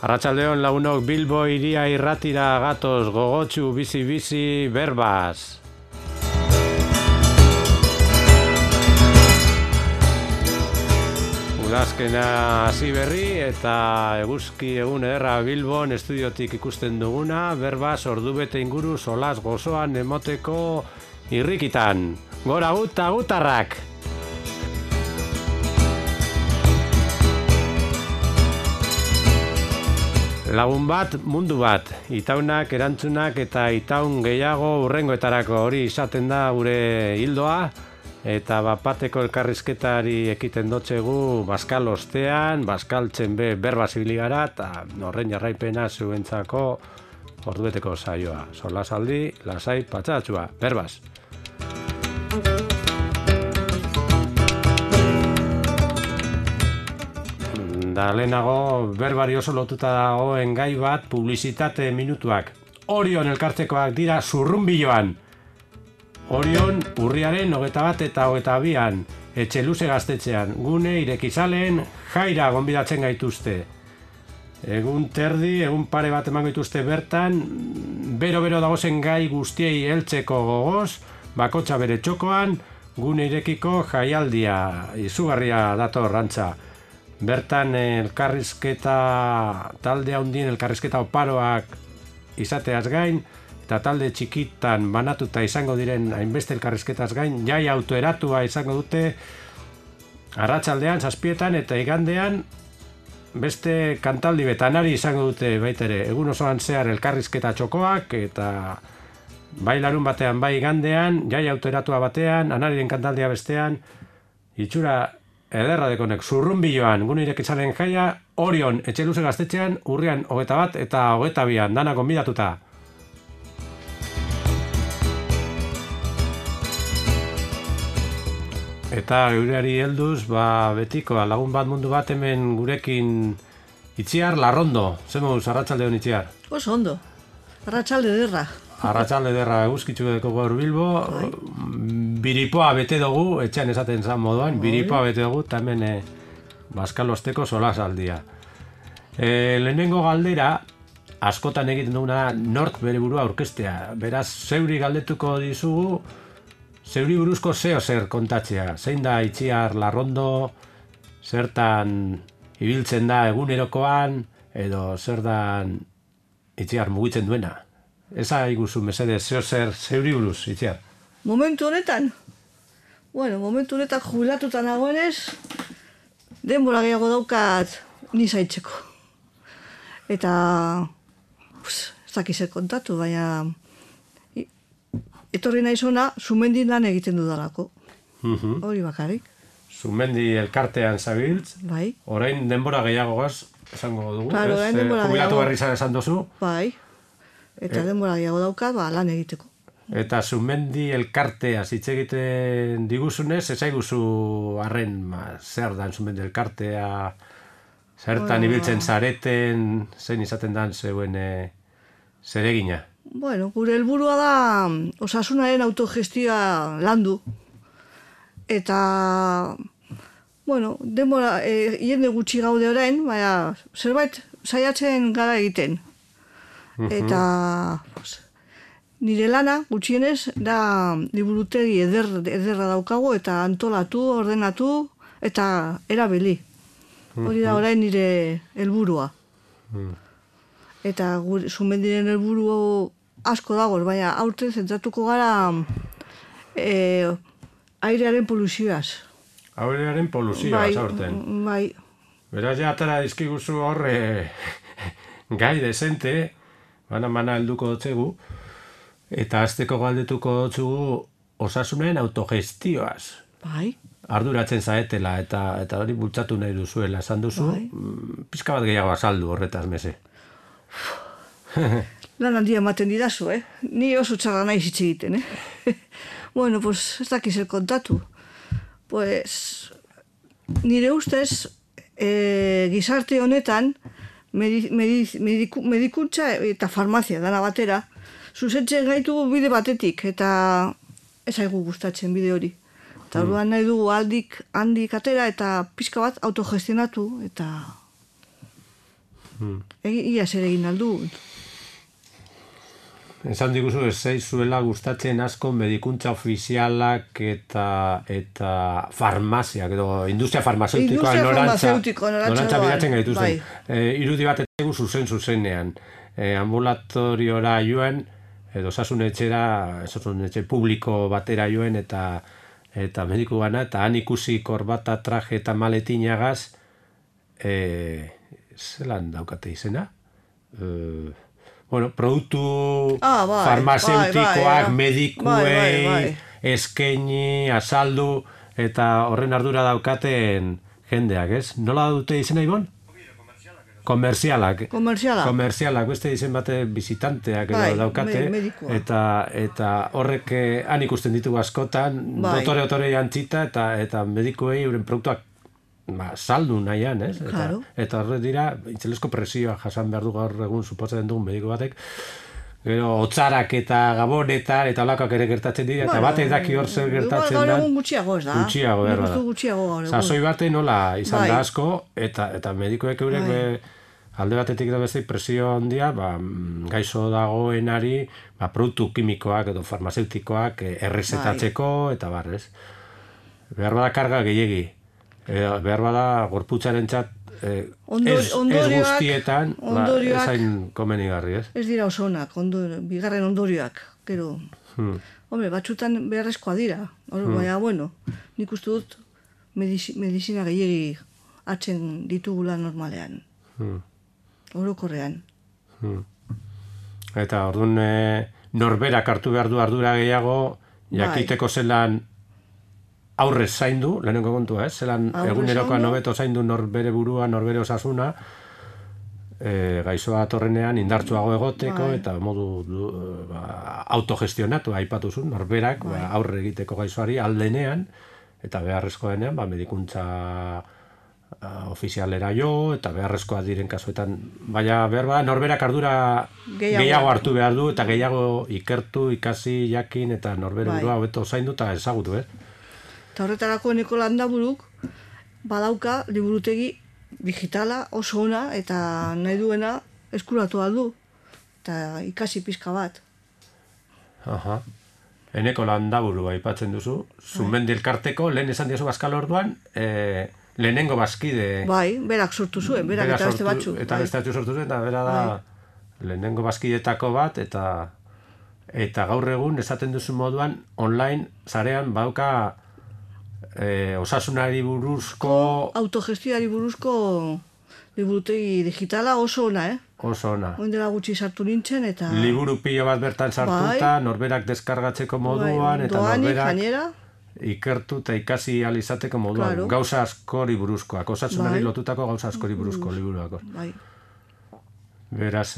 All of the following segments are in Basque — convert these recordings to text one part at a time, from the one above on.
Arratsaldeon lagunok, Bilbo iria irratira gatoz, gogotsu bizi berbaz. Udazkena hasi berri eta eguzki egun ederra Bilbon estudiotik ikusten duguna, berbaz ordubete inguru solas gozoan emoteko irrikitan. Gora guta gutarrak! Lagun bat, mundu bat, itaunak, erantzunak eta itaun gehiago hurrengoetarako hori izaten da gure hildoa, eta bapateko elkarrizketari ekiten dotzegu Baskal ostean, Baskaltzen berba zibili gara, eta horren jarraipena zuentzako ordubeteko saioa. Solasaldi, lasai, patxatxua, berbaz. Da lehenago berbari oso lotuta dagoen gai bat publizitate minutuak. Orion elkartekoak dira zurrunbiloan. Orion urriaren 21 eta 22an, etxe luze gaztetxean, gune irekizaleen jaira gonbidatzen gaituzte. Egun terdi, egun pare bat emango dituzte bertan, bero-bero dagozen gai guztiei heltzeko gogoz, bakotxa bere txokoan, gune irekiko jaialdia, izugarria dator rantza. Bertan elkarrizketa talde handien elkarrizketa oparoak izateaz gain eta talde txikitan banatuta izango diren hainbeste elkarrizketaz gain jai autoeratua izango dute arratsaldean 7etan eta igandean beste kantaldi betanari izango dute baita ere egun osoan zehar elkarrizketa txokoak eta bai larun batean bai igandean jai autoeratua batean anariren kantaldia bestean itxura ederra dekonek, zurrunbiloan, gune irekitzaren jaia, Orion, etxe luze gaztetxean, urrian 21 eta 22an, dana gonbidatuta. Eta gureari helduz, betiko, lagun bat mundu bat hemen gurekin Itziar Larrondo. Zemuz, arratsalde hon Itziar? Oso ondo, arratsalde derra. Arratsalde derra eguzkitzu deko gaur Bilbo, biripoa bete dugu, etxean esaten zan moduan, biripoa bete dugu, eta hemen Baskalosteko solasaldia. Lehenengo galdera, askotan egiten duguna nork bere burua aurkeztea. Beraz, zeuri galdetuko dizugu, zeuri buruzko zeo zer kontatzea. Zein da Itziar Larrondo, zertan ibiltzen da egunerokoan, edo zer dan Itziar mugitzen duena. Eza iguzu, mesede, zeo zer zeuri buruz, Itziar? Momentu honetan? Bueno, momentu honetan jubilatuta nagoenez, denbora gehiago daukat ni zaitzeko. Eta, ez dakiz kontatu, baina etorri naiz ona, Zumendin lan egiten dudalako. Hori bakarrik. Zumendi elkartean zabiltz, bai. Orain denbora gehiagoaz esango dugu, claro, ez? Jubilatu berri esan duzu. Bai. Eta denbora gehiago daukat, lan egiteko. Eta Zumendi elkartea hitz egiten diguzunez, ez aiguzu arren zer dan Zumendi elkartea, zertan ibiltzen zareten, zein izaten dan zeuen zeregina? Bueno, gure helburua da osasunaren autogestioa landu. Eta, bueno, denbora, jende gutxi gaude orain, baina zerbait saiatzen gara egiten. Eta nire lana gutxienez da liburutegi ederra daukago eta antolatu, ordenatu eta erabili. Hori da orain nire helburua. Eta Zumendiren helburu asko dago, baina aurten zentratuko gara airearen poluzioaz. Airearen poluzioaz aurten. Bai. Beraz ja atara dizkiguzu horre gai desente, mana helduko dotzegu, eta azteko galdetuko dotzugu osasunen autogestioaz. Bai. Arduratzen zaetela eta hori bultzatu nahi duzuela, esan duzu, bai. Pizka bat gehiago azaldu horretaz meze. Lan handia ematen didazu, Ni oso txarra nahi hitz egiten, Bueno, pues ez dakiz kontatu. Pues nire ustez gizarte honetan medikuntza eta farmazia dana batera, zuzentzen gaitu bide batetik, eta ez aigu gustatzen bide hori. Eta orduan nahi dugu handik atera eta pixka bat autogestionatu, eta Ia zer egin aldu. Esan diguzu, ez zaizuela gustatzen asko medikuntza ofizialak eta farmaziak, edo industria farmazeutikoa norantza bilatzen gaituzten. Irudi bat etegu zuzenean. Ambulatoriora joan, edo osasun etxe publiko batera joan, eta mediku gana, eta han ikusi korbata, traje eta maletinagaz, zelan daukate izena? Produktu farmazeutikoak, medikuei, eskaini, azaldu, eta horren ardura daukaten jendeak, ez? Nola dute izena, Ibon? Komerzialak, beste izen bate visitanteak daukate, eta horrek han ikusten ditugu askotan, dotore jantzita, eta medikuei euren produktuak saldu nahian, ez? Eta horre dira, itzelezko presioa jasan behar du gaur egun suposatzen dugun mediku batek, gero, hotzarak eta gabonetan eta olakak ere gertatzen dira, eta batek daki hor zer gertatzen da. Gaur egun gutxiago ez da. Gutxiago, behar da. Gutxiago gaur egun. Sasoi bate nola izan da asko, eta medikuek eurek alde batetik da beste presio handia, gaixo dagoenari produktu kimikoak edo farmazeutikoak errezetatzeko, eta barrez. Behar bada karga gehiegi. Behar bada gorputzaren txat ez guztietan ezain komenigarri, ez? Ez dira oso onak, bigarren ondorioak, gero. Hombre, batzutan beharrezkoa dira, baina, bueno, nik uste dut medizina gehiagi hartzen ditugula normalean. Orokorrean. Eta orduan norberak hartu behar du ardura gehiago, jakiteko zelan aurrez zaindu, lehenengo kontua, zelan egunerokoan hobeto zaindu norbere burua, norbere osasuna, gaixoa torrenean indartsuago egoteko, eta modu autogestionatu aipatu zuen, norberak aurre egiteko gaixoari aldenean, eta beharrezkoa denean, medikuntza ofizialera jo, eta beharrezkoa diren kasuetan, baina behar bada norberak ardura gehiago hartu behar du, eta gehiago ikertu, ikasi, jakin, eta norbere burua hobeto zaindu, eta ezagutu, Eta horretarako eneko landaburuk badauka liburutegi digitala oso ona eta nahi duena eskuratu aldu eta ikasi pizka bat. Eneko landaburu aipatzen duzu, Zumendi elkarteko, lehen esan diazu Bazkal orduan, lehenengo bazkide... Berak sortu zuen, berak eta beste batzu. Eta beste batzu sortu zuen, eta bera da lehenengo bazkidetako bat, eta gaur egun esaten duzu moduan, online, zarean, bauka osasunari buruzko... Autogestioari buruzko liburutegi digitala oso ona, Oso ona. Oindela gutxi sartu nintzen, eta... Liburu pilo bat bertan sartuta, norberak deskargatzeko moduan, eta norberak ikertu eta ikasi alizateko moduan. Gauza askori buruzkoak, osasunari lotutako gauza askori buruzko liburuak. Beraz,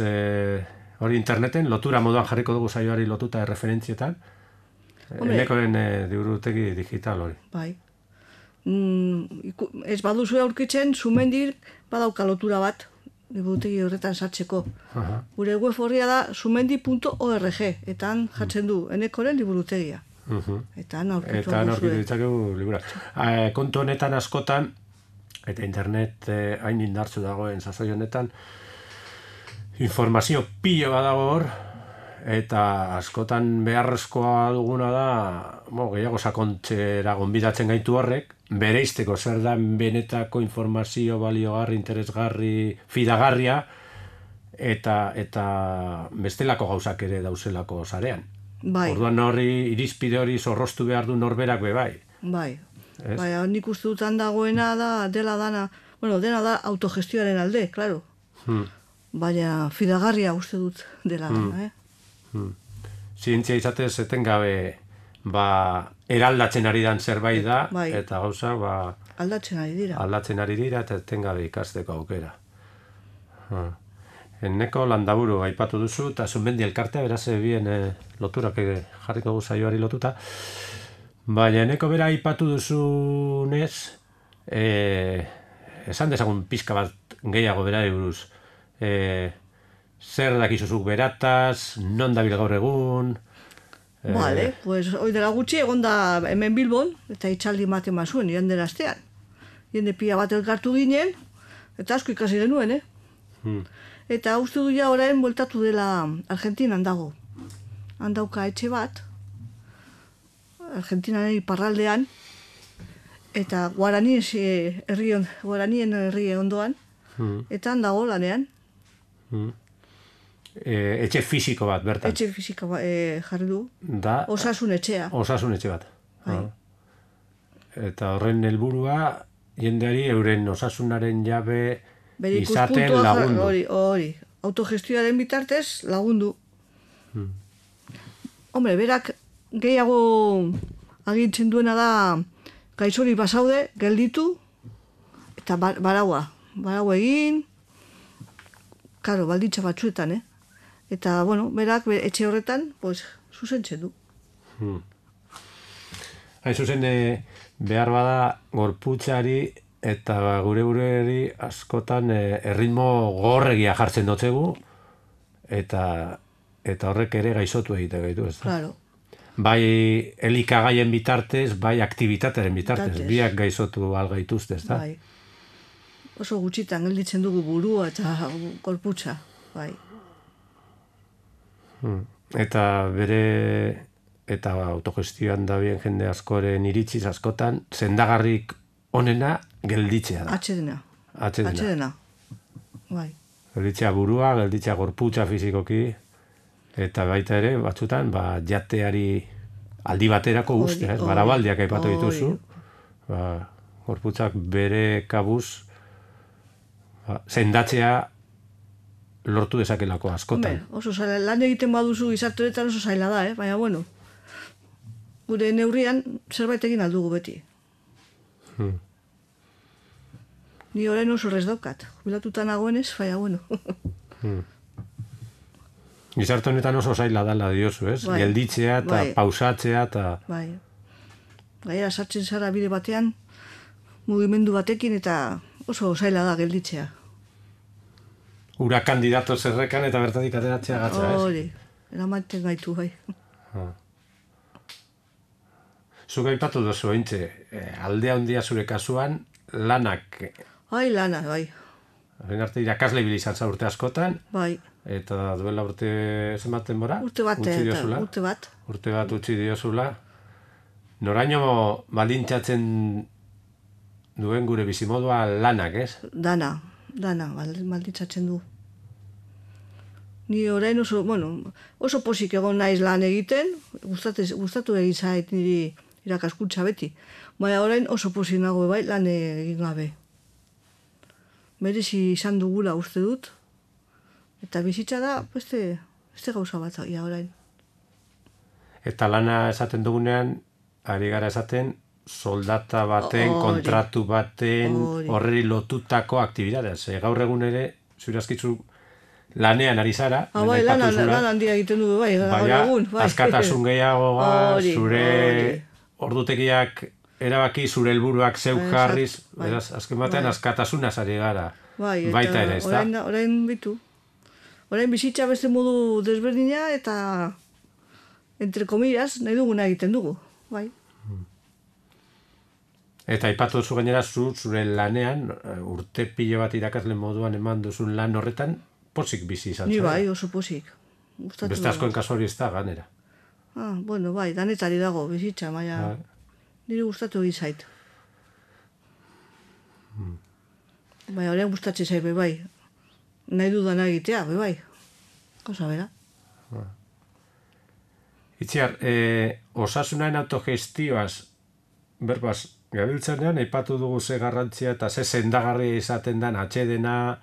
hori interneten, lotura moduan jarriko dugu saioari lotuta referentzietan, enekoren liburutegi digital hori. Ez baduzu aurkitzen, Zumendir badauka lotura bat, liburutegi horretan sartzeko. Gure web horria da zumendi.org, eta han jartzen du enekoren liburutegia. Eta han aurkitu ditzakegu liburak. Kontu honetan askotan, eta internet hain indartzu dagoen sasoi honetan, informazio pilo badago hor, eta askotan beharrezkoa duguna da, gehiago sakontzera gonbidatzen gaitu horrek, bereizteko zer da benetako informazio baliogarri, interesgarri, fidagarria, eta bestelako gauzak ere dauzelako sarean. Orduan hori, irizpide hori zorroztu behar du norberak bai. Nik uste dutan dagoena dela da autogestioaren alde, klaro. Baina fidagarria uste dut dela dana, Zientzia izatez etengabe eraldatzen ari dan zerbait da, eta gauza aldatzen ari dira eta etengabe ikasteko aukera. Eneko landaburu aipatu duzu, eta Zumendi elkartea beraz bien loturak jarriko gu saioari lotuta. Baina eneko bera aipatu duzunez, esan dezagun pizka bat gehiago berari buruz. Zer dakizuzuk berataz, non dabil gaur egun... pues hoi dela gutxi egon da hemen Bilbon, eta itxaldi ematen mazuen, jende astean. Jende pila bat elkartu ginen, eta asko ikasi genuen, Eta uste du ja orain bueltatu dela Argentinan dago. Handauka etxe bat, Argentinaren iparraldean, eta Guaranien herri ondoan, eta han dago lanean. Etxe fisiko bat, bertan. Etxe fisiko jarri du. Da, Osasun etxea. Osasun etxe bat. Bai. Eta horren helburua jendeari euren osasunaren jabe Bere izaten ikuspuntua lagundu. Hori. Autogestioaren bitartez lagundu. Hombre, berak gehiago agintzen duena da gaixori basaude, gelditu, eta baraua egin, karo, baldintza batzuetan, Eta, bueno, berak etxe horretan, pues, zuzentzen du. Hain zuzen, behar bada gorputzari eta gure buruari askotan erritmo gorregia jartzen dotzegu, eta horrek ere gaixotu egite gaitu, ez da? Claro. Bai elikagaien bitartez, bai aktivitatearen bitartez, biak gaixotu algaituzte, ez da? Bai. Oso gutxitan gelditzen dugu burua eta gorputza, bai. Eta autogestioan dabien jende askoren iritziz askotan, sendagarrik onena gelditzea da. Atxedena. Bai. Gelditzea burua, gelditzea gorputza fizikoki, eta baita ere, batzutan, jateari aldi baterako uste, barabaldiak aipatu dituzu. Gorputzak bere kabuz sendatzea lortu dezakelako askotan. Oso zaila, lan egiten baduzu gizarteretan oso zaila da, baina bueno, gure neurrian zerbait egin aldugu beti. Ni orain oso rez daukat, jubilatuta nagoenez, baina bueno. Gizarte honetan oso zaila dala diozu, ez? Bai. Gelditzea eta pausatzea eta... Bai. Gaira sartzen zara bide batean, mugimendu batekin eta oso zaila da gelditzea. Ura kandidato zerrekan eta bertatik ateratzea gatza, ez? Hori, eramaten gaitu, bai. Zuk aipatu duzu ointxe, aldea handia zure kasuan, lanak... Bai, lana, bai. Horren arte irakasle bilizan za urte askotan, Bai. eta duela urte zenbaten bora? Urte bat. Urte bat utzi diozula. Noraino baldintzatzen duen gure bizimodua lanak, ez? Dana, baldintzatzen du. Ni orain oso posik egon naiz lan egiten, gustatu egin zait niri irakaskuntza beti. Baina orain oso posik nago bai lan egin gabe. Merezi izan dugula uste dut. Eta bizitza da, beste gauza bat orain. Eta lana esaten dugunean, ari gara esaten, soldata baten, kontratu baten, horreri lotutako aktibidadea. Gaur egun ere, zure askitzu lanean ari zara. Bai, lan handia egiten du, bai, gaur egun. Askatasun gehiagoa, zure ordutegiak erabaki, zure helburuak zeuk jarriz, beraz, azken batean askatasunaz ari gara. Baita ere, ez da? Orain bitu. Orain bizitza beste modu desberdina eta, entre comillas, nahi duguna egiten dugu, bai. Eta aipatu duzu gainera zure lanean, urte pilo bat irakasle moduan eman duzun lan horretan, posik bizi izan. Ni bai, oso posik. Beste askoen kasu hori ez da, ganera. Bueno, bai, danetari dago bizitza, baina nire gustatu egin zait. Bai, horrean gustatzen zait, bai. Nahi dudana egitea, bai. Kosa bera. Itziar, osasunaren autogestioaz, berbaz, gabiltzanean, aipatu dugu ze garrantzia eta ze sendagarria izaten den atxedena,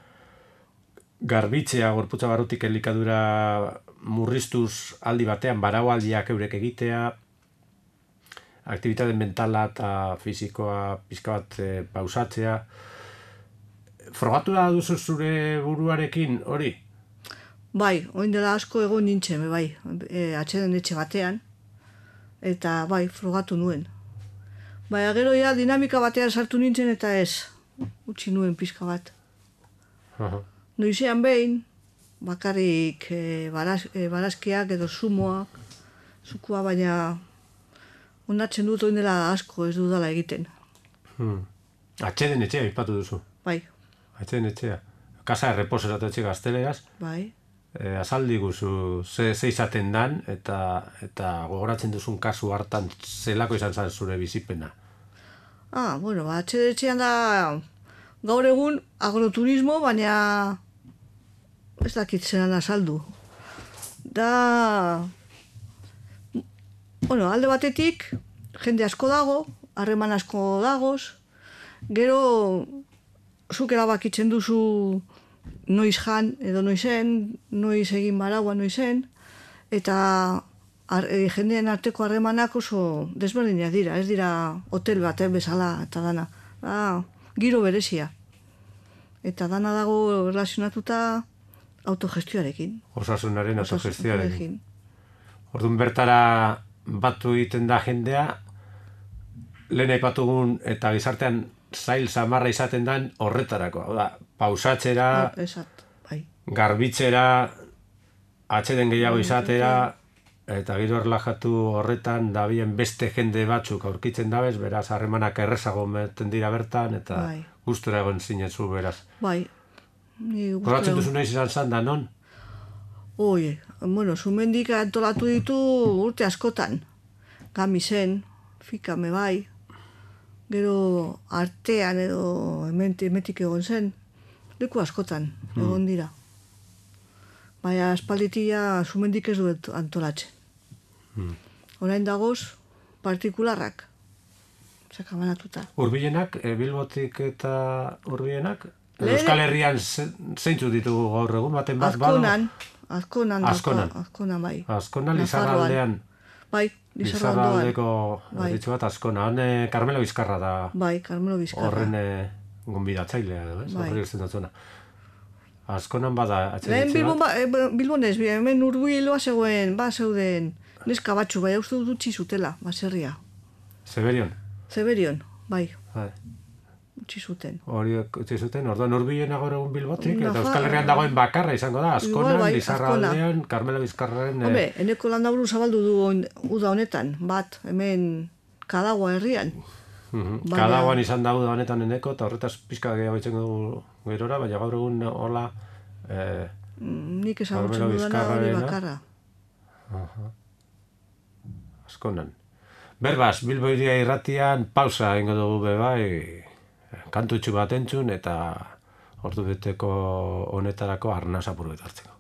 garbitzea, gorputza barrutik elikadura murriztuz aldi batean, baraualdiak eurek egitea, aktibitate mentala eta fisikoa pizka bat pausatzea. Frogatu da duzu zure buruarekin hori? Bai, oin dela asko egon nintzen, bai, atxeden etxe batean, eta bai, frogatu nuen. Baina gero ja dinamika batean sartu nintzen eta ez, utzi nuen pizka bat. Noizean behin, bakarrik barazkiak edo zukua, baina ondatzen dut oin dela asko ez dudala egiten. Atxeden etxea, aipatu duzu. Bai. Atxeden etxea. Casa de Reposo esatetxe gazteleraz, Bai. azaldi guzu ze izaten dan, eta gogoratzen duzun kasu hartan zelako izan zen zure bizipena. Bueno, etxean da gaur egun agroturismo, baina ez dakit zelan azaldu. Da, bueno, alde batetik, jende asko dago, harreman asko dagoz, gero zuk erabakitzen duzu noiz jan edo noizen, noiz egin baragua noizen, eta jendeen arteko harremanak oso desberdinak dira, ez dira hotel bat bezala eta dana. Giro berezia. Eta dana dago relazionatuta autogestioarekin. Osasunaren autogestioarekin. Orduan bertara batu egiten da jendea, lehen aipatugun eta gizartean zail samarra izaten dan horretarako. Hau da, pausatzera, garbitzera, atxeden gehiago izatera, eta gero erlajatu horretan dabien beste jende batzuk aurkitzen dabez, beraz, harremanak errezago meten dira bertan, eta gustura egon zinezu, beraz. Bai. Goratzen duzu nahi izan zan da, non? Bueno, Zumendik antolatu ditu urte askotan. Gamisen, Fikame bai, gero artean edo emetik egon zen, leku askotan egon dira. Baina aspalditia Zumendik ez duet antolatzen. Orain dagoz, partikularrak, sakabanatuta. Urbilenak, Bilbotik eta Urbilenak? Euskal Herrian zeintzu ditugu gaur egun, baten bat balo? Azkonan, bai. Azkonan, Lizarraldean. Bai, Lizarraldeko ditzu bat Azkona. Hone Carmelo Bizkarra da. Bai, Carmelo Bizkarra. Horren gonbidatzailea, ez? Horri izten dutzuna. Azkonan bada atxeditze bat? Bilbon ez, hemen Urbiloa zeuden neska batzu, bai, uste dut utzi zutela, baserria. Zeberion, bai. Utzi zuten. Horiek utzi zuten, orduan Urbilena gaur egun Bilbotik, eta Euskal Herrian dagoen bakarra izango da, Azkonan, Lizarraldean, Carmelo Bizkarraren... Hombre, eneko landaburu zabaldu du uda honetan, bat, hemen Kadagua herrian. Kadaguan izan da uda honetan eneko, eta horretaz pixka gehiago itzen dugu gerora, baina gaur egun hola... Nik ezagutzen dudana hori bakarra. Azkonan. Berbaz, Bilbo Hiria Irratian pausa egingo dugu bebai, kantutxu bat entzun eta ordu beteko honetarako arnaz apur bet hartzeko.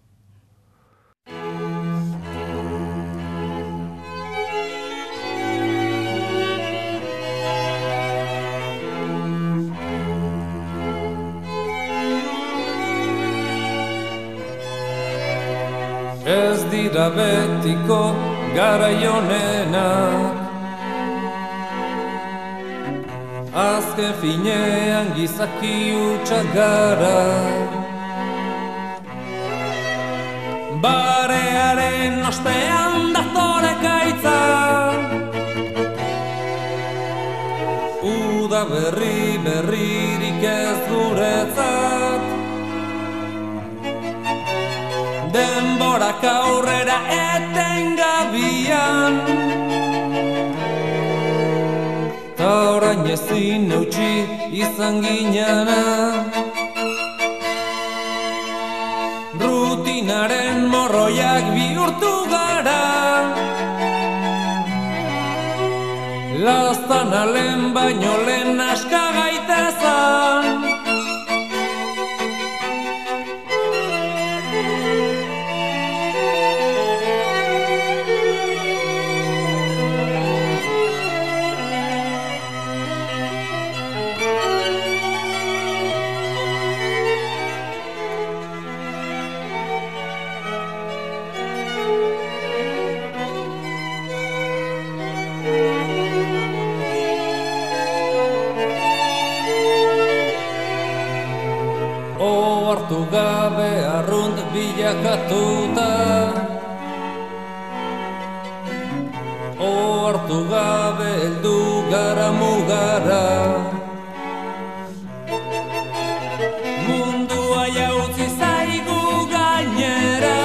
Ez dira betiko garaionenak, azken finean gizaki hutsak gara. Barearen ostean datore gaitza, uda berririk ez guretzat. Denborak aurrera etengabian, ta orain ezin eutsi izan ginana. Rutinaren morroiak bihurtu gara, laztana lehen baino lehen aska gaitezan. Ohartu gabe arrunt bilakatuta, ohartu gabe heldu gara mugara. Mundua jautzi zaigu gainera,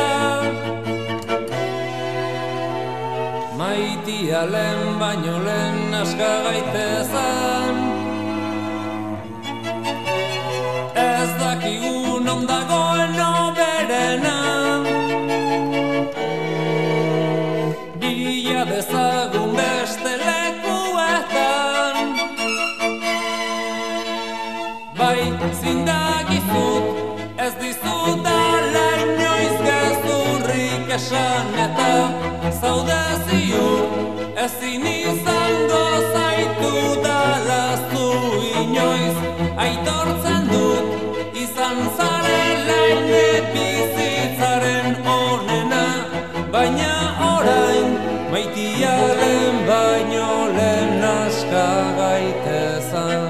maitia lehen baino lehen aska gaitezan. Ez dakigu non non dagoen oberena. Bila dezagun beste lekuetan, bai zindagizut, ez dizudala inoiz gezurrik esan eta zaude ziur, ezin izango zaitu dalaztu inoiz, aitortzen dut izan zarela ine bizitzaren onena, baina orain maitiaren baino lehen aska gaitezan.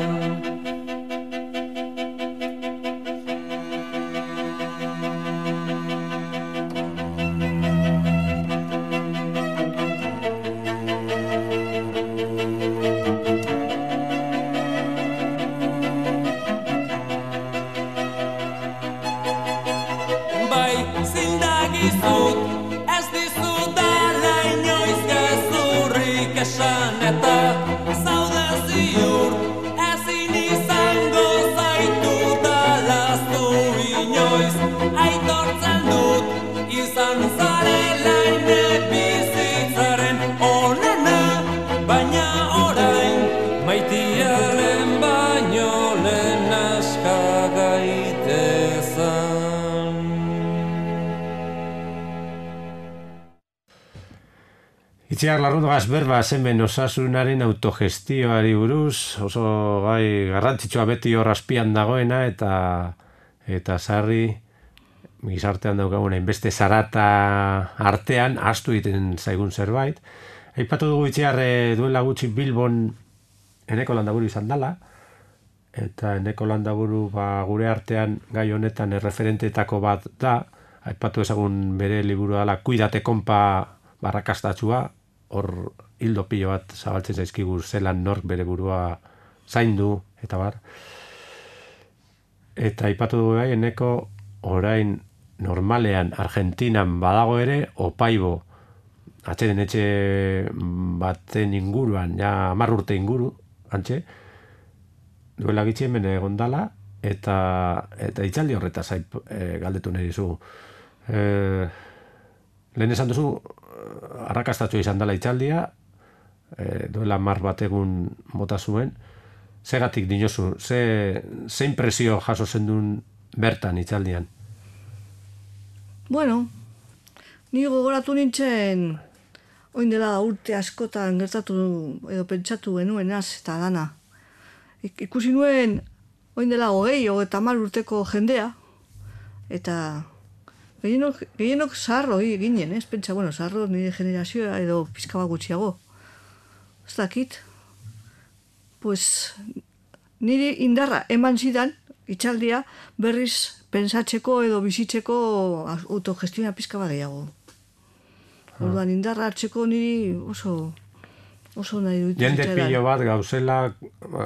Zindagizut, ez dizudala inoiz gezurrik esan eta zaude ziur, ezin izango zaitu dalaztu inoiz, aitortzen dut izan zarela ine bizitzaren onena, baina orain maitiaren baino lehen aska gaitezan. Itziar Larrundogaz berba hemen osasunaren autogestioari buruz, oso gai garrantzitsua beti hor azpian dagoena eta sarri gizartean daukagun hainbeste zarata artean ahaztu egiten zaigun zerbait. Aipatu dugu Itziar duela gutxi Bilbon Eneko Landaburu izan dela, eta Eneko Landaburu gure artean gai honetan erreferenteetako bat da, aipatu ezagun bere liburua dela Kuidate konpa barrakastatsua, hor hildo pilo bat zabaltzen zaizkigu zelan nork bere burua zaindu eta bar. Eta aipatu dugu bai, Eneko orain normalean Argentinan badago ere, Opaibo atxeden etxe baten inguruan, ja 10 urte inguru, antxe, duela gitxi hemen egon dala, eta hitzaldi horretaz galdetu nahi dizu. Lehen esan duzu, arrakastatxo izan dela hitzaldia, duela 10 bat egun bota zuen, zegatik dinozu, ze impresio jaso zendun bertan hitzaldian? Bueno, ni gogoratu nintzen oin dela urte askotan gertatu edo pentsatu genuenaz eta dana. Ikusi nuen oin dela 30 urteko jendea, eta gehienok zaharro ginen, ez pentsa, bueno, zaharro nire generazioa edo pizka bat gutxiago. Ez dakit, pues niri indarra eman zidan, itxaldia, berriz pentsatzeko edo bizitzeko autogestioa pizka bat gehiago. Orduan indarra hartzeko niri oso nahi dut. Jende pilo bat gauzela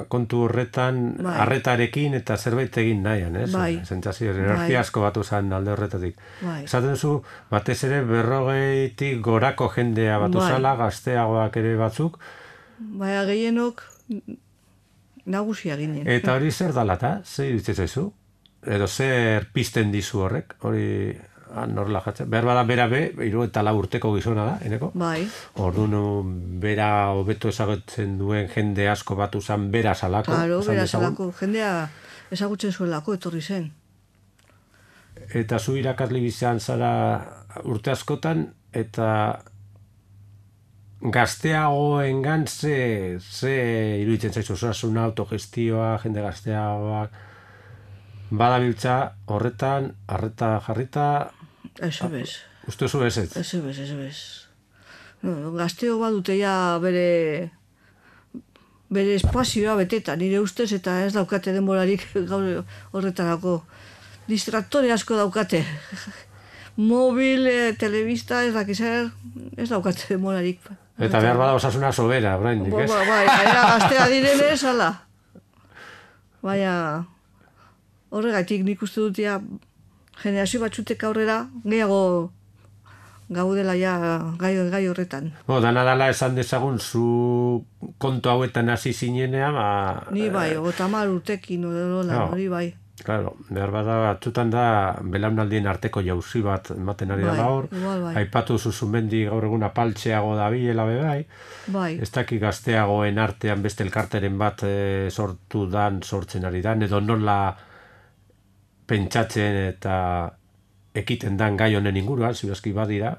kontu horretan arretarekin eta zerbait egin nahian, ez? Bai. Sentsazio, energia asko batu zen alde horretatik. Bai. Esaten zu, batez ere 40 gorako jendea batu zala, gazteagoak ere batzuk. Baina gehienok nagusia ginen. Eta hori zer dalata? Zer iruditzen zaizu? Edo zer pizten dizu horrek? Hori norla jatzen. Behar bada bera 74 urteko gizona da, Eneko? Bai. Orduan bera hobeto ezagutzen duen jende asko batu zen bera salako. Claro, bera salako. Jendea ezagutzen zuelako etorri zen. Eta zu irakasle bizan zara urte askotan, eta gazteagoengan ze iruditzen zaizu, osasuna, autogestioa, jende gazteagoak, badabiltza horretan, arreta jarrita... Eso bez. Uste zu ez ez? Eso bez. No, gazteo badute ja bere espazioa beteta, nire ustez, eta ez daukate denborarik gaur horretarako. Distraktore asko daukate. Mobil, telebista, ez dakizer, ez daukate denborarik. Eta behar bada osasuna sobera, orain, ez? Bai, gaztea direnez, ala. Baina, horregatik nik uste dut ja, generazio batzutek aurrera, gehiago gaudela ja gai horretan. Dana dala esan dezagun, zu kontu hauetan hasi zinenea, Ni bai, 30 urtekin, hori bai. Claro, behar bada batzutan da belaunaldien arteko jauzi bat ematen ari da gaur. igual, Aipatu Zuzumendi gaur egun apaltxeago dabilela bai. Bai, Ez daki gazteagoen artean beste elkarteren bat sortzen ari da, edo nola pentsatzen eta ekiten dan gai honen inguruan, zirazki badira.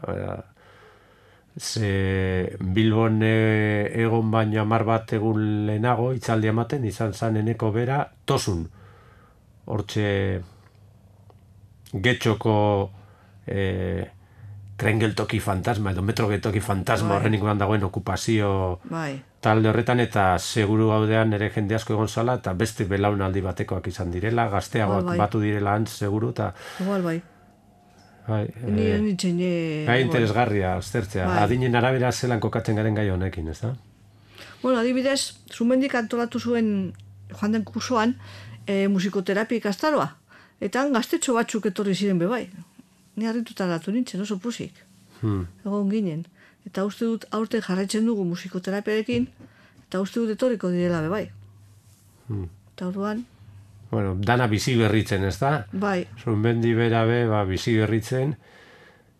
Ze Bilbon egon baino 10 bat egun lehenago hitzaldi ematen izan zan eneko bera Tosun. Hortxe Getxoko tren geltoki fantasma edo metro geltoki fantasma horren inguruan dagoen okupazio talde horretan, eta seguru gaudean ere jende asko egon zala eta beste belaunaldi batekoak izan direla, gazteagoak batu direla antz seguru, eta igual bai. Gai interesgarria aztertzea, adinen arabera zelan kokatzen garen gai honekin, ez da? Bueno, adibidez, Zumendik antolatu zuen joan den kursoan musikoterapia ikastaroa. Eta gaztetxo batzuk etorri ziren bebai. Ni harrituta datu nintzen, oso pusik. Egon ginen. Eta uste dut aurten jarraitzen dugu musikoterapiarekin, eta uste dut etorriko direla bebai. Eta orduan... Bueno, dana bizi berritzen, ez da? Bai. Zumendi bera bizi berritzen,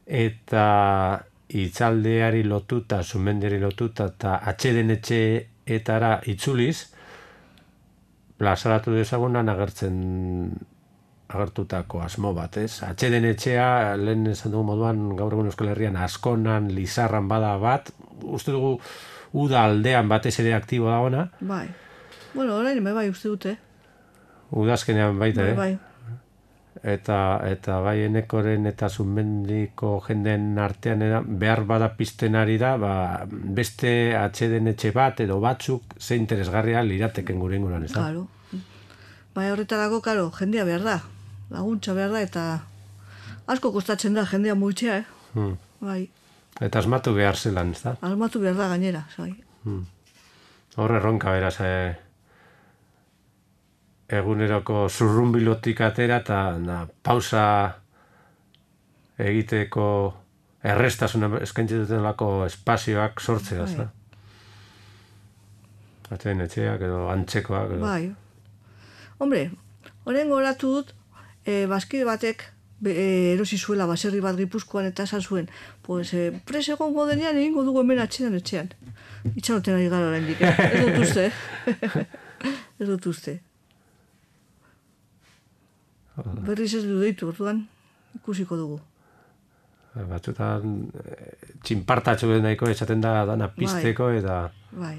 eta hitzaldeari lotuta, Zumendiari lotuta, eta atxeden etxeetara itzuliz, plazaratu dezagunan agertutako asmo bat, ez? Atxeden etxea, lehen esan dugu moduan, gaur egun Euskal Herrian Askonan, Lizarran bada bat, uste dugu uda aldean batez ere aktibo da ona. Bai. Bueno, orain bai uste dute. Udazkenean baita, bai. Eta bai enekoren eta Zumendiko jenden artean behar bada pizten ari da, beste atxeden etxe bat edo batzuk ze interesgarria lirateken gure inguruan, ez da? Claro. Bai, horretarako, karo, jendea behar da. Laguntza behar da, eta asko kostatzen da jendea muitzea, Bai. Eta asmatu behar zelan, ez da? Asmatu behar da gainera, zai. Horre erronka beraz, eguneroko zurrunbilotik atera eta pausa egiteko errestasun eskaintzen dutelako espazioak sortzea, ez da? Atxeden etxeak edo antzekoak. Bai. Hombre, horren goratu dut, bazkide batek erosi zuela baserri bat Gipuzkoan eta esan zuen, pues, pres egongo denean egingo dugu hemen atxedan etxean. Itxaroten ari gara oraindik, ez dut uste. Ez dut uste. Berriz ez du deitu, orduan ikusiko dugu. Batzutan txinpartatxo nahiko esaten da dana pizteko eta... Bai.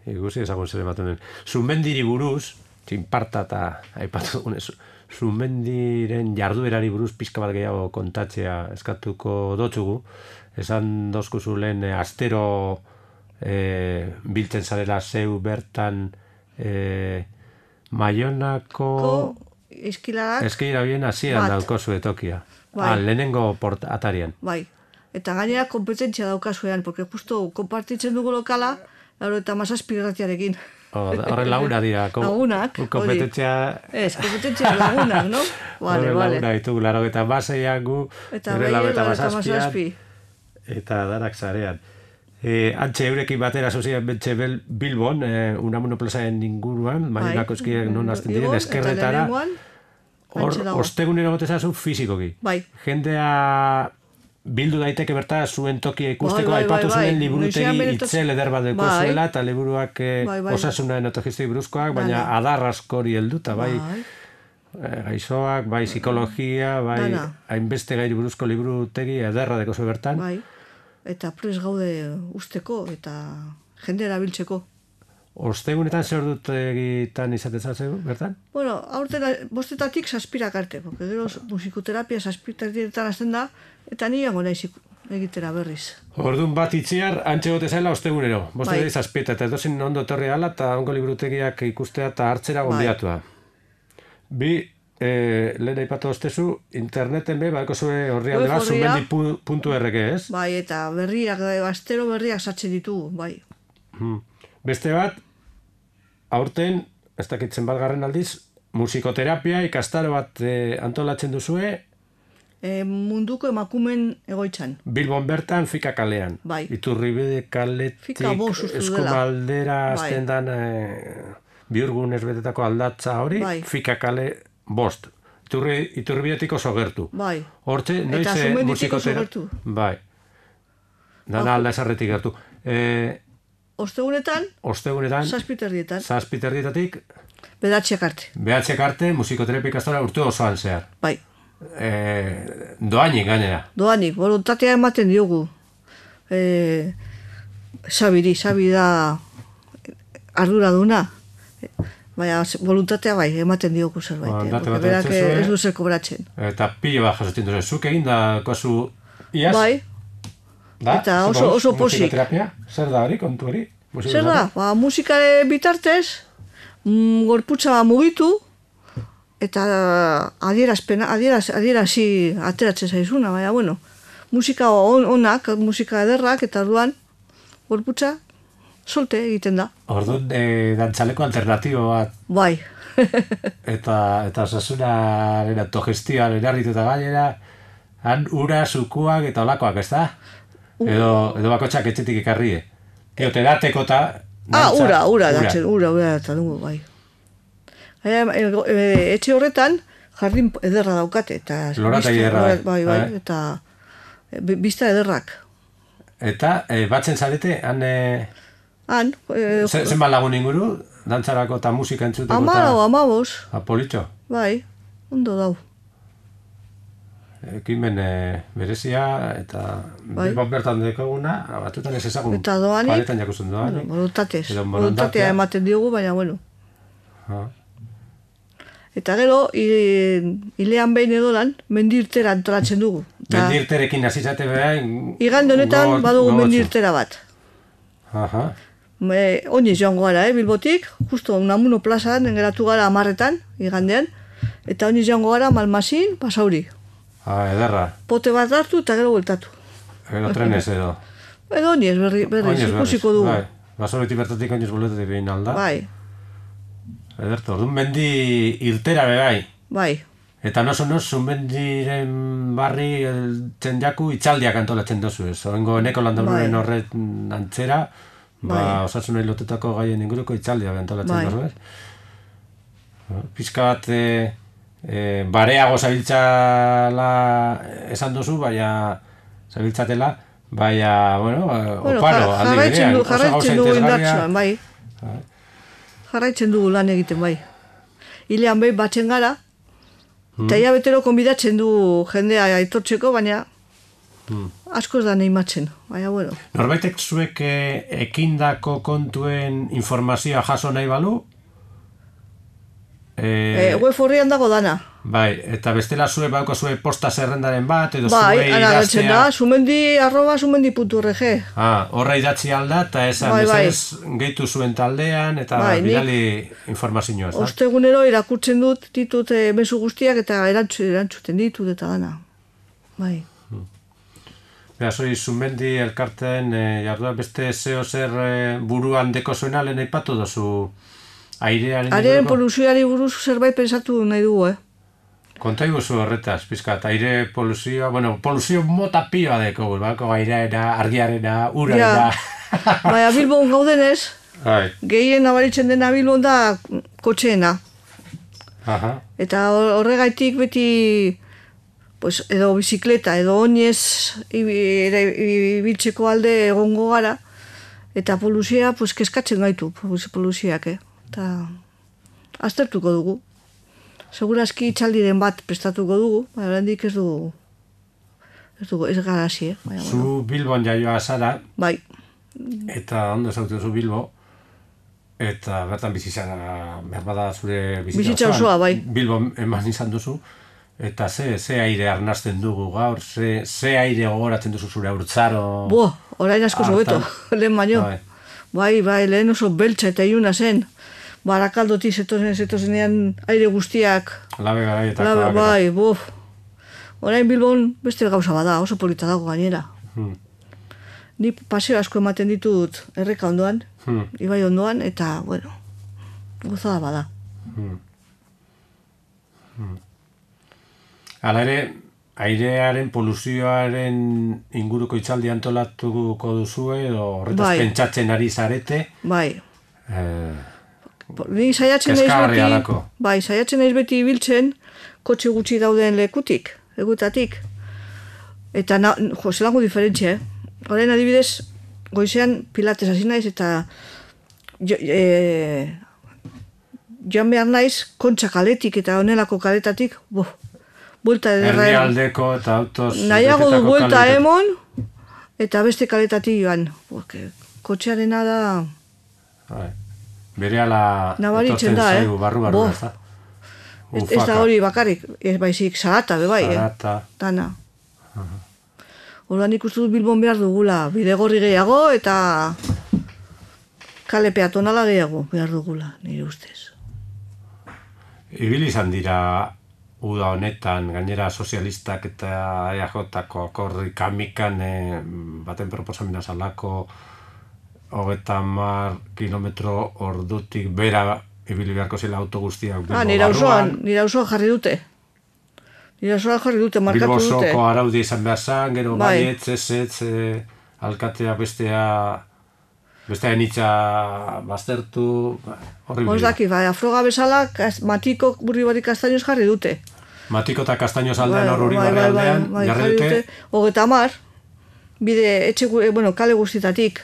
Ikusi ezagun zer ematen den. Zumendiri buruz, txinparta eta aipatu dugunez, Zumendiren jarduerari buruz pizka bat gehiago kontatzea eskatuko dotzugu. Esan dozkuzu lehen astero biltzen zarela zeu bertan Maionako... Eskilara bien hasieran daukozu etokia. Lehenengo atarian. Bai. Eta gainera kompetentzia daukazuean, porque justo kompartitzen dugu lokala, eta 17 irratiarekin. Horren laguna dira. Lagunak. Kompetentzia... kompetentzia lagunak, no? Horren laguna ditugu, laro eta baseian gu, eta 17. Eta darak zarean. Antxe eurekin batera sozian bentxe Bilbon, Unamuno plazaren inguruan, Maionako eskiak non azten diren, eskerretara, ostegunero gotezazu fizikoki. Bai. Jendea bildu daiteke berta zuen tokia ikusteko, aipatu zuen liburutegi itzel eder bat deko zuela, eta liburuak osasunaren autogestoi buruzkoak, baina adar askori helduta, bai gaixoak, bai psikologia, bai hainbeste gairi buruzko liburutegi ederra deko zuen bertan. Bai. Eta prez gaude usteko eta jende erabiltzeko. Ostegunetan zer dut egitan izatezatzegu, bertan? Bueno, aurten 5-etatik 7 arte, porque gero musikoterapia 7 diretan azten da, eta niango naiz egitera berriz. Orduan bat itziar, antxe gote zaila ostegunero. 5-7 eta edozen ondo etorri ala, eta ongo liburutegiak ikustea eta hartzera gonbiatua. Bi, lehen aipatu ostezu, interneten baiko zuen horri alde bat, zumendi.org, ez? Bai, eta berriak, astero berriak sartzen ditugu, bai. Beste bat, aurten, ez dakitzen bat garren aldiz, musikoterapia ikastaro bat antolatzen duzue? Munduko emakumen egoitzan. Bilbon bertan, Fika kalean. Bai. Iturribide kaletik, Eskumaldera, azten dan... Biurgunez betetako aldatza hori, Bai. Fika kale 5. Iturbiatik oso gertu. Bai. Hortze, noiz Eta Zumenditik musikotera... oso gertu. Bai. Dana alda esarretik gertu. Ostegunetan, Ostegunetan, zazpiterrietan, zazpiterrietatik, bedatxeak arte. behatxek arte, musikoterapia ikastora urte osoan zehar. Bai. Doainik gainera. Doanik, voluntatea ematen diogu. Sabi da arduraduna. Baina voluntatea bai, ematen diogu zerbait. Date bat Berak etzezue. ez du zer kobratzen. Eta pilo bat jasotzen duzu. Zuk egin da kozu iaz? Bai, Da? eta Zuk oso pozik. Musikoterapia? Zer da hori, kontu hori? zer da? Ba, musikare bitartez, gorputza mugitu, eta adierasi ateratzen zaizuna, baina, bueno, musika onak, musika ederrak, eta orduan, gorputza, solte egiten da. Orduan, dantzaleko alternatibo bat, Bai. eta osasunaren autogestioan erarrituta gainera, han ura, zukuak eta olakoak, ez da? Edo bakotxak etxetik ekarrie. Te dateko eta... Ura datzen dugu, bai. Etxe horretan, jardin ederra daukate, eta... Lorategi ederra, bai, eta bizta ederrak. Eta, batzen zarete, han... Han, Zenbat lagun inguru, dantzarako eta musika entzuteko amabos, Politxo, bai, ondo dau. ekimen berezia eta Bai. Bilbon bertan dekoguna, batutan ez ezagun Eta doanik, paletan jakusten doanik. voluntatez. Edo Voluntatea ematen diogu, baina, bueno. Ah. Eta gero, hilean behin edolan, mendirtera antolatzen dugu. Mendirterekin hasi zate behain... Igande honetan badugu mendirtera bat. Aha. Oinez joango gara, Bilbotik, justo Unamuno plazan, engeratu gara 10etan, igandean, eta oinez joango gara Malmasin, Pasauri. Ederra. Pote bat hartu eta gero bueltatu. Edo trenez edo. Edo oinez berriz, ikusiko dugu. Bai. Basoretik bertatik oinez boletetik behin alda. Bai, Ederto, orduan mendi irtera bebai. bai, Eta noso Zumendiren barri txendiaku itxaldiak antolatzen dozu ez. Orengo eneko landaururen Bai. horret antzera, Bai. osasunei lotutako gaien inguruko itxaldiak antolatzen Bai. dozu ez. Pizka bat bareago zabiltzala esan duzu, baina zabiltzatela, baina, bueno, oparo, aldi berean. jarraitzen dugu indartsuan, bai. Jarraitzen dugu lan egiten, bai. Hilean behin batzen gara, eta hilabetero konbidatzen du jendea aitortzeko, baina asko ez da neimatzen, baina, bueno. Norbaitek zuek ekindako kontuen informazioa jaso nahi balu? Web horrian dago dana. Bai, eta bestela zuek bauko zuek posta zerrendaren bat, edo Bai, zuei anagaltzen da, idaztea... sumendi.org. Horra idatzi alda, eta esan Bai, bai. gehitu zuen taldean, eta Bai, nik- bidali informazioa, ez da? Ostegunero irakurtzen ditut mezu guztiak eta erantzuten ditut eta dana. Bai. Beha, zoi, Zumendi elkarteen jardua beste zeo zer buruan deko zuena lehen aipatu dozu airearen Airearen poluzioari buruz zerbait pensatu nahi dugu, Konta iguzu horretaz, pizkat, aire poluzioa, bueno, poluzio mota pioa deko, bako airearena, argiarena, urarena. Baina Bilbon gaudenez, Bai. gehien nabaritzen dena Bilbon da kotxeena. Aha. Eta horregaitik beti pues, edo bizikleta, edo oinez ibiltzeko alde egongo gara, eta poluzia pues, keskatzen gaitu, poluziak, Eta aztertuko dugu. Segurazki itxaldiren bat prestatuko dugu, baina oraindik ez gara hasi, baina, bueno. Zu Bilbon jaioa zara, Bai, eta ondo zautu zu Bilbo, eta bertan bizi zara, berbada zure Bizitza osoa, bai. Bilbon eman izan duzu, eta ze aire arnasten dugu gaur, ze aire gogoratzen duzu zure haurtzaro... orain asko hobeto, lehen baino. Bai. Bai, lehen oso beltza eta iluna zen. Barakaldotik zetozenean aire guztiak. Labe garaietakoak. Bai, Orain Bilbon beste gauza bada, oso polita dago gainera. Ni paseo asko ematen ditut erreka ondoan, ibai ondoan, eta, bueno, gozada bada. Hala ere, airearen poluzioaren inguruko itzaldi antolatuko duzue, edo horretaz Bai. pentsatzen ari zarete. Bai, Ni saiatzen naiz Kezkagarria beti, halako. bai, saiatzen naiz beti ibiltzen, kotxe gutxi dauden legutatik. Eta, zelango diferentzia, Orain adibidez, goizean pilates hasi naiz, eta joan behar naiz, Kontxa kaletik eta honelako kaletatik, buelta ederra. Herrialdeko eta autoz... Nahiago du buelta emon, eta beste kaletatik joan. Kotxearena da... Berehala nabaritzen da, zaigu, barru, ez da? Ez da hori bakarrik, ez baizik, zarata, bebai, Zarata. Dana. Horban ikustu dut Bilbon behar dugula, bidegorri gehiago eta kale peatonala gehiago behar dugula, nire ustez. Ibili izan dira uda honetan, gainera sozialistak eta EAJ-ko akorrik amikan baten proposamena zalako 30 kilometro ordutik bera ibili beharko zela auto guztiak. Nire auzoan jarri dute. Markatu dute. Bilbo osoko araudi izan behar zan, gero baietz, ez, alkatea bestean itxa baztertu, horri bide. Daki, afroga bezala, Matiko Burri Kastainoz jarri dute. Matiko eta Kastainoz aldean horri barri aldean, jarri dute. 30, bide, kale guztietatik,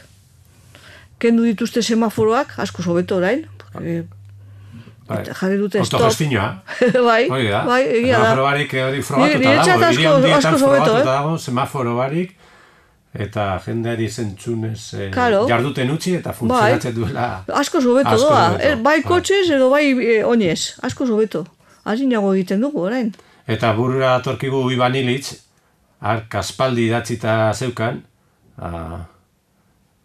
kendu dituzte semaforoak, asko sobeto orain, jarri dute stop. Autogestinoa. Bai, egia da. Semaforo barik hori frogatuta dago, hiri handietan frogatuta dago, semaforo barik, eta jendeari zentzunez jarduten utzi eta funtzionatzen duela. Asko sobeto doa, bai kotxez edo bai oinez, asko sobeto. Azinago egiten dugu orain. Eta burura atorkigu Iban Ilitz, aspaldi idatzita zeukan,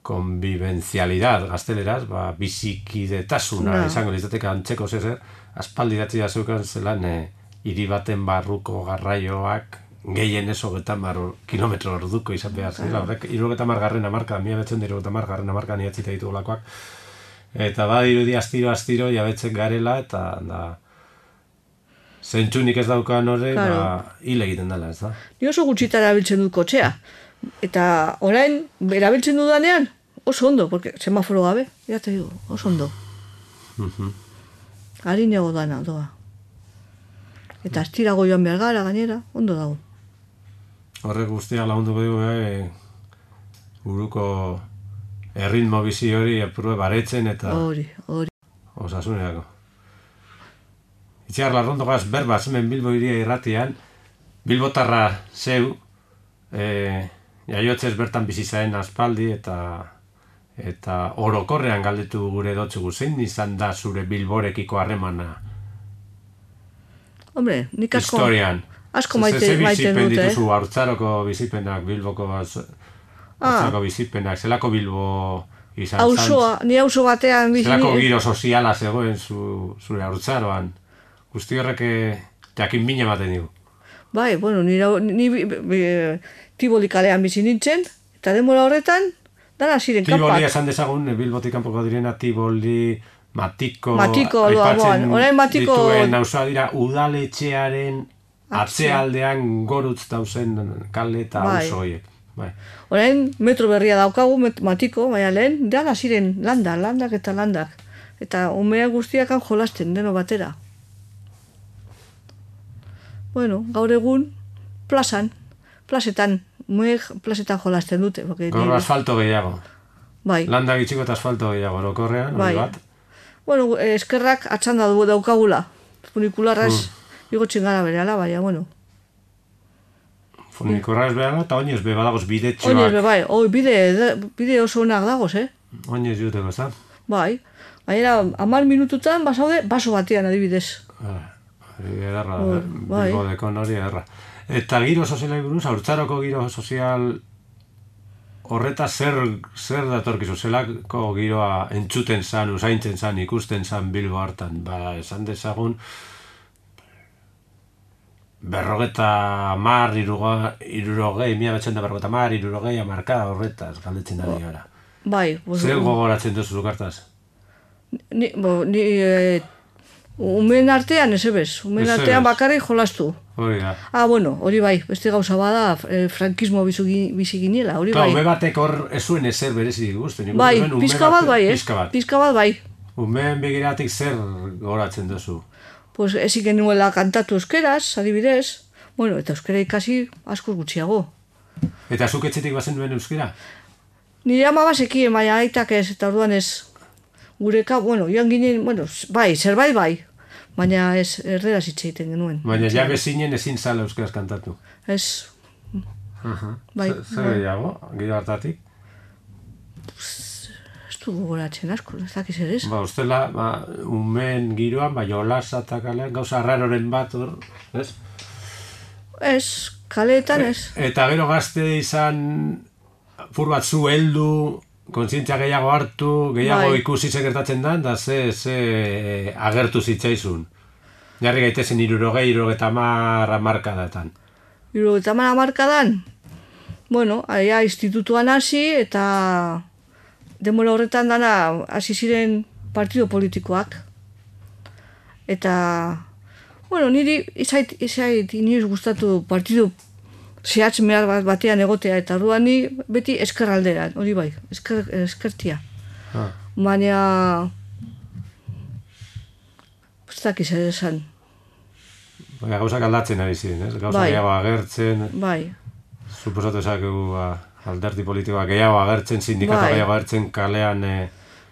konbibenzialidad gazteleraz, bizikidetasuna izango litzateke antzeko zezer, aspaldi idatzita zeukan zelan hiri baten barruko garraioak gehien ez 30 kilometro orduko izan behar zela. Horrek 70. hamarka, 1970. hamarkan idatzita ditugulakoak. Eta badirudi astiro jabetzen garela, eta zentsunik ez daukan horrek, hil egiten dela, ez da? Ni oso gutxitara erabiltzen dut kotxea. Eta orain, erabiltzen dudanean, oso ondo, porque semaforo gabe, ya te digo, oso ondo. Harinego dana, doa. Eta astirago joan behar gara, gainera, ondo dago. Horrek guztia lagunduko dugu, buruko erritmo bizi hori apurue baretzen eta... Hori. Osasunerako. Itziar Larrondogaz berba hemen Bilbo hiria irratian, Bilbotarra zeu, jaiotzez bertan bizi zaren aspaldi eta orokorrean galdetu gure dotzugu, zein izan da zure Bilborekiko harremana? Hombre, nik asko... Historian. Asko maite dut, bizipen dituzu, Haurtzaroko bizipenak, Bilboko Haurtzaroko bizipenak, zelako Bilbo izan zan? Ni auzo batean bizi... Zelako giro soziala zegoen zure Haurtzaroan? Guzti horrek jakin mina ematen digu. Bai, ni Tiboli kalean bizi nintzen, eta denbora horretan, dara ziren kanpak. Tiboli esan dezagun, Bilbotik kanpoko direna, Tiboli, Matiko, aipatzen dituen nauzoa dira, udaletxearen atzealdean gorutz dauzen kale eta auzo horiek. Orain metro berria daukagu, Matiko, baina lehen, dara ziren landak. Eta umea guztiakan jolasten, deno batera. Gaur egun, plazetan jolasten dute. Gaur asfalto gehiago. Bai. Landa gitxiko eta asfalto gehiago, orokorrean, hori bat. Eskerrak atxanda daukagula. Funikularraz igotxin gara bereala, baina, Funikularraz bereala eta oinez be badagoz bidetxoak. Oinez be, bai. Bide oso onak dagoz, Oinez juteko, ez da? Bai. Baina, 10 minututan basaude, baso batean adibidez. Ederra, Bilbodekon hori ederra. Eta giro sozialai buruz, Haurtzaroko giro sozial horreta zer datorkizu, zelako giroa entzuten zan, usaintzen zan, ikusten zan Bilbo hartan. Esan dezagun, 1950, markada horretaz, galdetzen da gara. Bai. Zer gogoratzen duzu lukartaz? Umen artean, ez ebez. Umen artean bakarrik jolastu. Hori da. Hori bai. Beste gauza bada, frankismo bizi ginela, hori bai. Ume batek hor ez zuen ezer berezi guztien. Bai, pizka bat bai, Pizka bat bai. Umeen begiratik zer goratzen duzu? Pues ezin genuela kantatu euskeraz, adibidez. Bueno, eta euskera ikasi asko gutxiago. Eta zuk etxetik bazen duen euskera? Nire ama bazekien, baina aitak ez, eta orduan ez. Gureka, bueno, joan ginen, bueno, bai, zerbait bai. Baina ez, erderaz hitz egiten genuen. Baina ja bezinen ezin zala euskaraz kantatu. Ez. Bai. Zer gehiago, gero hartatik? Ez du gogoratzen asko, ez dakiz ere ez. Ustela, umeen giroan, jolasa eta kalean, gauza arraroren bat, ez? Ez, kaleetan ez. Eta gero gazte izan, fur bat zu heldu, kontzientzia gehiago hartu, gehiago ikusi gertatzen da, da ze agertu zitzaizun. Jarri gaitezen 60-70 markadatan. 60 markadan? Bueno, aia institutuan hasi eta denbora horretan dana hasi ziren partido politikoak. Eta, bueno, niri izait inoiz gustatu partido zehatz mehar batean egotea, eta orduan ni beti eskerraldera, hori bai, eskertia. Baina, ez dakiz ere esan. Baina gauzak aldatzen ari ziren, ez? Gauzak gehiago agertzen. Bai. Suposatu esakegu alderdi politikoak gehiago agertzen, sindikatu gehiago agertzen, kalean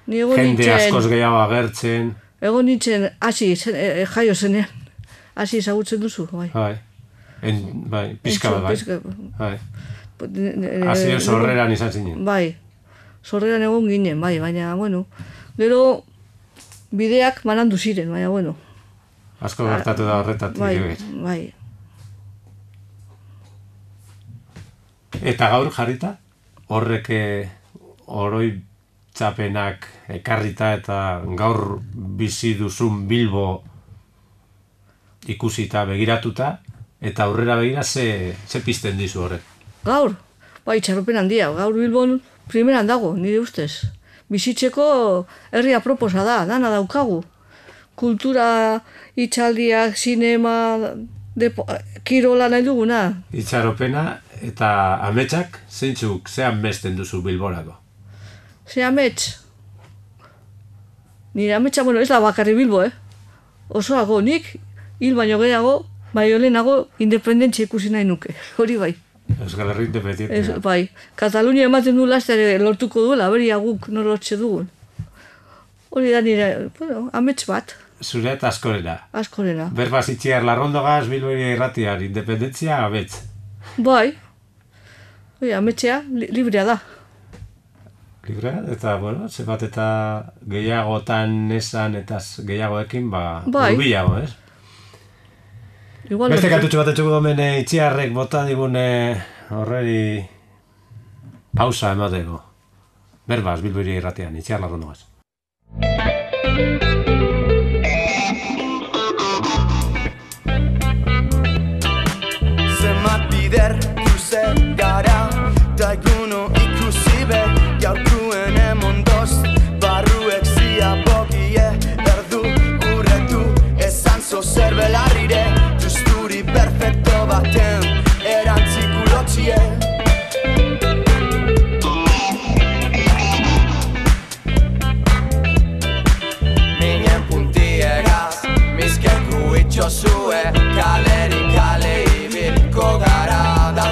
jende askoz gehiago agertzen. Egon nintzen, hasi, jaio zenean, hasi ezagutzen duzu, bai. Bai, pixka bat, bai. Hasi sorreran izan zinen. Bai, sorreran egon ginen, bai, baina, bueno, gero bideak manandu ziren, baina, bueno. Asko gertatu da horretatik. Bai. Eta gaur jarrita, horrek oroitzapenak ekarrita eta gaur bizi duzun Bilbo ikusita, begiratuta, eta aurrera begira ze pizten dizu horrek? Gaur? Bai, txarropen handia. Gaur Bilbon primeran dago, nire ustez. Bizitzeko herri aproposa da, dana daukagu. Kultura, itxaldiak, sinema, kirola nahi duguna. Itxaropena eta ametsak, zeintzuk, ze amesten duzu Bilborako? Ze amets? Nire ametsa, bueno, ez da bakarri Bilbo, Osoago, nik, hil baino gehiago, bai olenago, independentzia ikusi nahi nuke, hori bai. Euskal Herri independentzia. Bai, Katalunia ematen du lastere lortuko duela, beria guk nor lortze dugun. Hori da nire, bueno, amets bat. Zure eta askorena. Askorena. Berbaz itxiar larrondogaz, Bilbori irratiar, independentzia, amets. Bai. Ametxea, librea da. Librea, eta, bueno, zebat eta gehiagotan esan eta gehiagoekin, urbilago, ez? Beste kantutxo bat etxugu domen itxiarrek bota digune horreri pausa emateko. Berbaz, Bilbori irratian, itxiar larrondogaz. Zenbat bider luze gara, da eguno ikusi be, gaurkuen emondoz, barruek ziabogie, erdu, urretu, esan zo zerbelarrire, justuri perfecto baten, erantzikulotzie. Minen puntieraz, miskeku itxosue, kalerik kale ibilko gara, da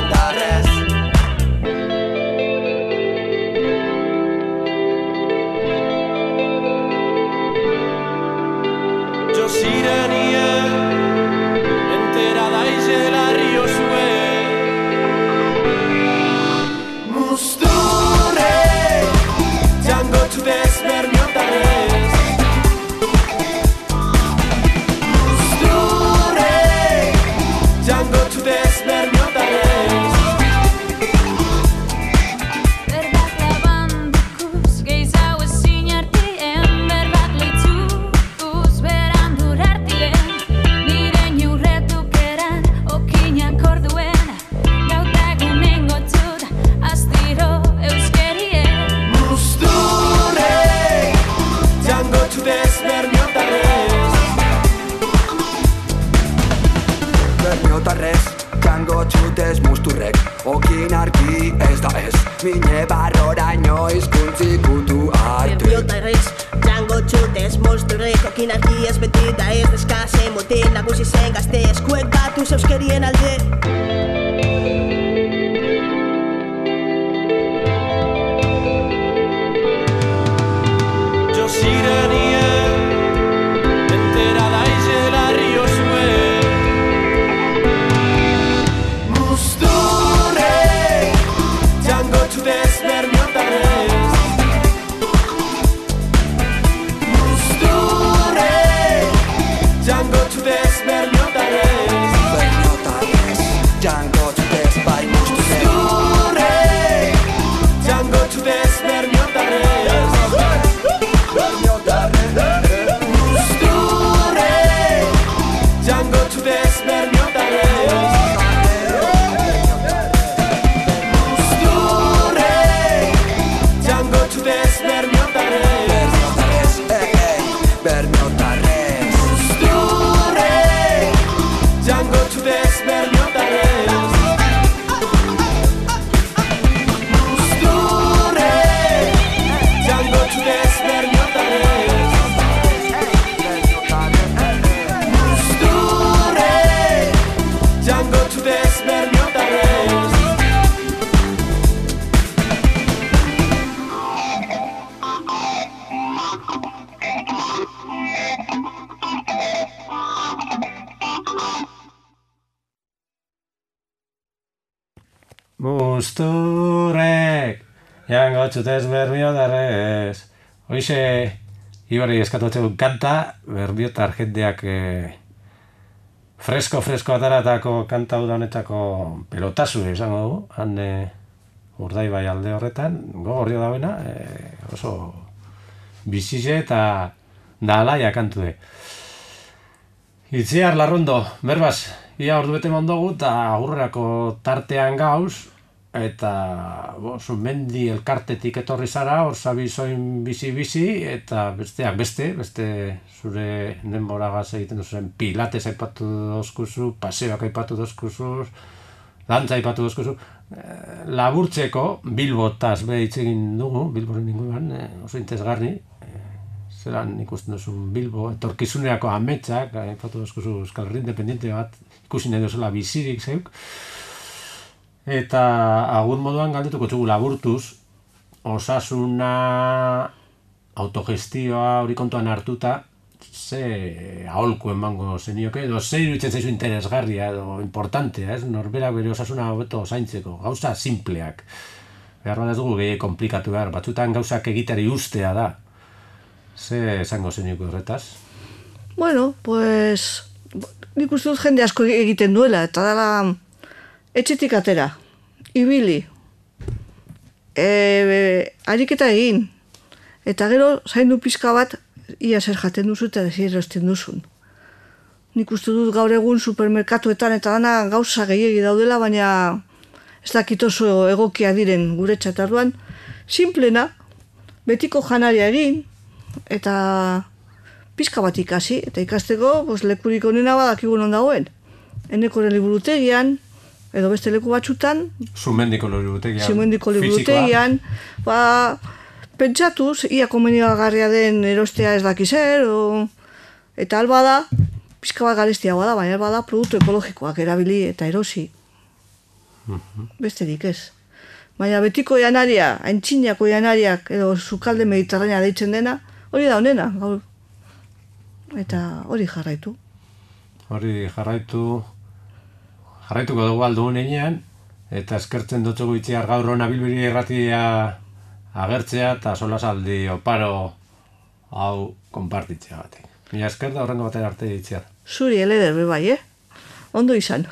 bermiotarrez, jango txutez musturrek, okin argi ez da ez, mine barroraino izkuntzi kutu arte. Bermiotarrez, jango txutez musturrek, okin argi ez beti da ez, deskase mutil nagusi zen gazte, eskuek batu zeuskerien alde. Sirenia, enterada y la río sue. Musturre, jango txutez bermiotarrez. Musturre, jango txutez bermiotarrez. Bermiotarrez, jango txutez bai musturre. Jango txutez bermiotarrez. Jango txutez bermiotarrez. Musturre, jango txutez bermiotarrez. Bermiotarrez. Musturre, jango txutez bermiotarrez. Musturre, jango txutez bermiotarrez. Jango txutez bermiotarrez. Musturrek, jango txutez bermiotarrez. Hoize, Ibarri eskatotzegun kanta, bermiotar jendeak fresko ataratako kanta udanetako pelotazu esango dugu, han Urdaibai alde horretan, gogorrio dauena, oso bizize eta da alaia kantu de. Itziar Larrondo, berbaz, ia ordu bete mondogu eta agurrerako tartean gauz, eta Zumendi elkartetik etorri zara, hor zabizoin bizi, eta besteak beste zure denboragaz egiten duzen pilates aipatu dozkuzu, paseoak aipatu dozkuzu, dantza aipatu dozkuzu, laburtzeko Bilbotaz hitz egin dugu, Bilboren inguruan, oso interesgarri, zelan ikusten duzun Bilbo, etorkizunerako ametsak, aipatu dozkuzu Euskal Herri independiente bat, ikusi nahi duzula bizirik zeuk, eta agur moduan galdetuko txugu laburtuz, osasuna, autogestioa hori kontuan hartuta, ze aholku emango zenioke, edo ze iruditzen zaizu interesgarria edo importantea, ez? Norberak bere osasuna hobeto zaintzeko, gauza simpleak. Behar bat ez dugu gehi komplikatu behar, batzutan gauzak egitari ustea da. Ze esango zenioke horretaz? Bueno, pues nik uste dut jende asko egiten duela, eta dela etxetik atera, ibili, ariketa egin, eta gero zaindu pizka bat ia zer jaten duzu eta zer erosten duzun. Nik uste dut gaur egun supermerkatuetan eta dana gauza gehiegi daudela, baina ez dakit oso egokia diren gure txatarruan, simplena, betiko janaria egin, eta pizka bat ikasi, eta ikasteko lekurik onena badakigu non dagoen. Eneko liburutegian, edo beste leku batzutan, Zumendiko liburutegian, pentsatuz, ia komenigarria den erostea ez daki zer, eta alba da, pizka bat garestiagoa da, baina alba da produktu ekologikoak erabili eta erosi. Besterik ez. Baina betiko janaria, aintzinako janariak, edo sukalde mediterranea deitzen dena, hori da honena, gaur. Eta hori jarraitu. Jarraituko dugu aldugun einean, eta eskertzen dutzugu Itziar gaur hona Bilbiri irratia agertzea eta solasaldi oparo hau konpartitzea batek. Mila esker da horrengo batera arte Itziar. Zuri eleder bai, ondo izan.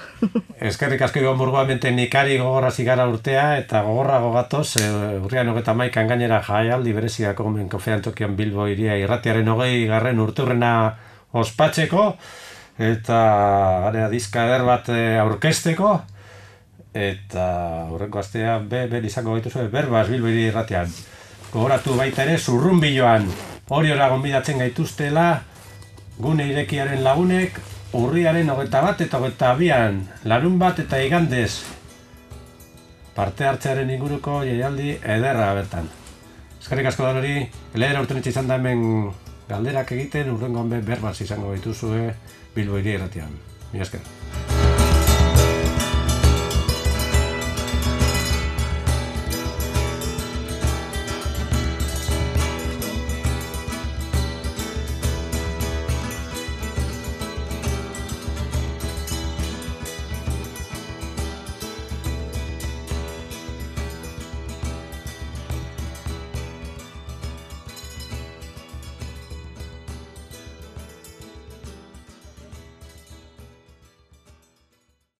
Eskerrik asko Ibon Burgoamenten ikari gogorra zigara urtea eta gogorrago gatoz, urrian 31 gainera jaialdi bereziako Kofe Antzokian Bilbo iria irratiaren 20. urteurrena ospatzeko, eta gara diska eder bat aurkezteko, eta horrenko astea izango gaituzu berbaz Bilbo iria irratian. Gogoratu baita ere Zurrunbiloan hori gonbidatzen gaituztela gune irekiaren lagunek, urriaren 21 eta 22an, larunbat eta igandez, parte hartzearen inguruko jaialdi ederra bertan. Eskerrik asko Danori, lehera urtenetxe izan da hemen galderak egiten, urrengoan berbaz izango dituzue Bilbo Hiri Irratian. Mila esker.